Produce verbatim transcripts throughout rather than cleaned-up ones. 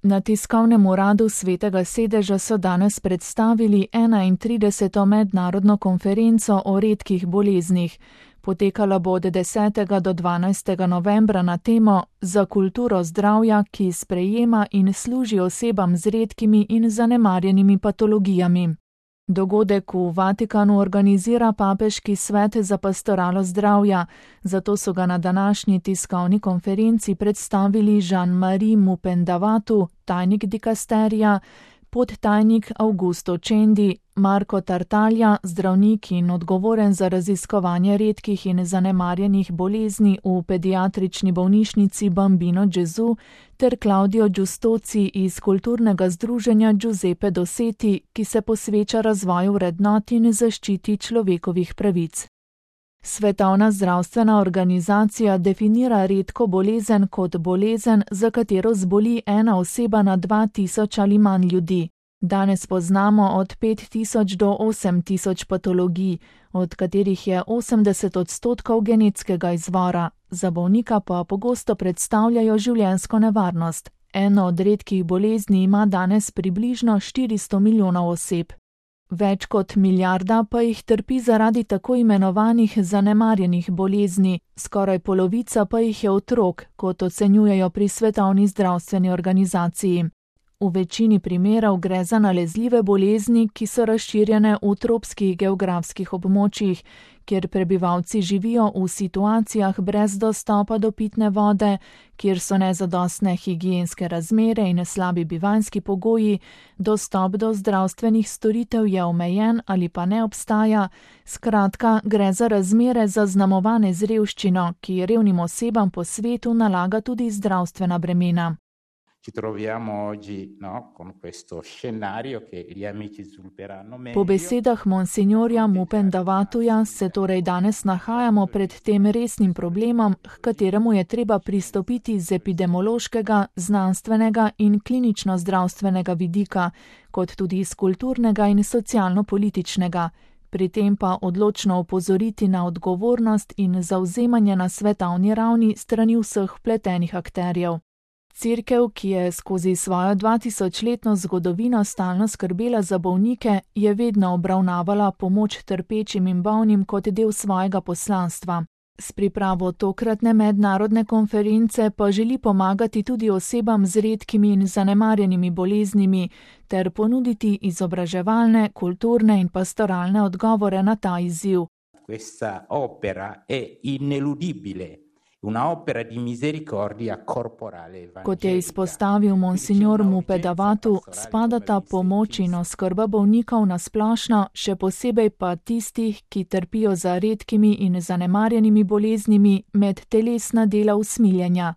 Na tiskovnem uradu Svetega sedeža so danes predstavili enaintrideseto mednarodno konferenco o redkih boleznih. Potekala bo od desetega do dvanajstega novembra na temo Za kulturo zdravja, ki sprejema in služi osebam z redkimi in zanemarjenimi patologijami. Dogodek v Vatikanu organizira Papeški svet za pastoralo zdravja, zato so ga na današnji tiskovni konferenci predstavili Jean-Marie Mupendavatu, tajnik dikasterija, podtajnik Augusto Cendi, Marko Tartaglia, zdravnik in odgovoren za raziskovanje redkih in zanemarjenih bolezni v pediatrični bolnišnici Bambino Gesù, ter Claudio Giustoci iz kulturnega združenja Giuseppe Dossetti, ki se posveča razvoju vrednot in zaščiti človekovih pravic. Svetovna zdravstvena organizacija definira redko bolezen kot bolezen, za katero zboli ena oseba na dva tisoč ali manj ljudi. Danes poznamo od pet tisoč do osem tisoč patologij, od katerih je osemdeset odstotkov genetskega izvora, za bolnika pa pogosto predstavljajo življenjsko nevarnost. Eno od redkih bolezni ima danes približno štiristo milijonov oseb. Več kot milijarda pa jih trpi zaradi tako imenovanih zanemarjenih bolezni, skoraj polovica pa jih je otrok, kot ocenjujejo pri Svetovni zdravstveni organizaciji. V večini primerov gre za nalezljive bolezni, ki so razširjene v tropskih geografskih območjih, kjer prebivalci živijo v situacijah brez dostopa do pitne vode, kjer so nezadostne higienske razmere in slabi bivanjski pogoji, dostop do zdravstvenih storitev je omejen ali pa ne obstaja, skratka, gre za razmere zaznamovane z revščino, ki revnim osebam po svetu nalaga tudi zdravstvena bremena. Ci troviamo oggi, no, con questo scenario che gli amici svilupperanno meglio. Po besedah monsignorja Mupendavatuja se torej danes nahajamo pred tem resnim problemom, h kateremu je treba pristopiti z epidemiološkega, znanstvenega in klinično-zdravstvenega vidika, kot tudi iz kulturnega in socialno-političnega. Pri tem pa odločno opozoriti na odgovornost in zavzemanje na svetovni ravni strani vseh vpletenih akterjev. Cerkev, ki je skozi svojo dvatisočletno zgodovino stalno skrbela za bolnike, je vedno obravnavala pomoč trpečim in bolnim kot del svojega poslanstva. S pripravo tokratne mednarodne konference pa želi pomagati tudi osebam z redkimi in zanemarjenimi boleznimi ter ponuditi izobraževalne, kulturne in pastoralne odgovore na ta izziv. Questa opera è ineludibile. Una opera di misericordia corporale evangelica. Kot je izpostavil monsignor Mupendavatu, spadata pomoč in oskrba bolnikov na splošno, še posebej pa tistih, ki trpijo za redkimi in zanemarjenimi boleznimi, med telesna dela usmiljenja.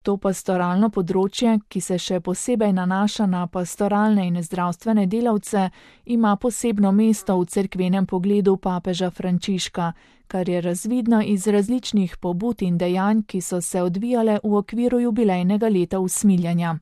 To pastoralno področje, ki se še posebej nanaša na pastoralne in zdravstvene delavce, ima posebno mesto v cerkvenem pogledu papeža Frančiška, kar je razvidno iz različnih pobud in dejanj, ki so se odvijale v okviru jubilejnega leta usmiljenja.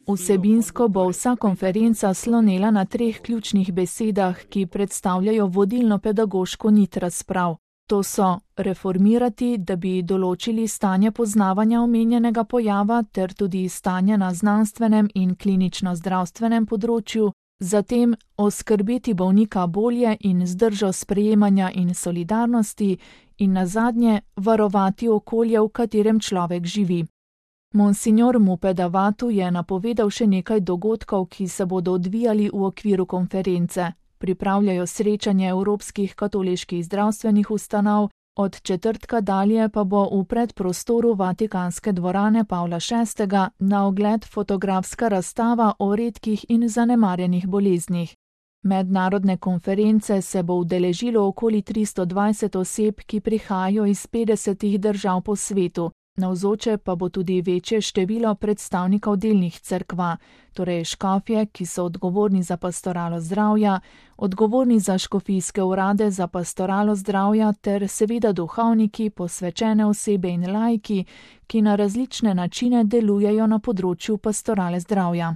Vsebinsko bo vsa konferenca slonela na treh ključnih besedah, ki predstavljajo vodilno pedagoško nit razprav. To so reformirati, da bi določili stanje poznavanja omenjenega pojava ter tudi stanje na znanstvenem in klinično-zdravstvenem področju, zatem oskrbeti bolnika bolje in z držo sprejemanja in solidarnosti in nazadnje varovati okolje, v katerem človek živi. Monsignor Mupendavatu je napovedal še nekaj dogodkov, ki se bodo odvijali v okviru konference. Pripravljajo srečanje evropskih katoliških zdravstvenih ustanov, od četrtka dalje pa bo v predprostoru Vatikanske dvorane Pavla šestega na ogled fotografska razstava o redkih in zanemarjenih boleznih. Mednarodne konference se bo udeležilo okoli tristo dvajset oseb, ki prihajajo iz petdesetih držav po svetu. Navzoče pa bo tudi večje število predstavnikov delnih cerkva, torej škofje, ki so odgovorni za pastoralo zdravja, odgovorni za škofijske urade za pastoralo zdravja ter seveda duhovniki, posvečene osebe in laiki, ki na različne načine delujejo na področju pastorale zdravja.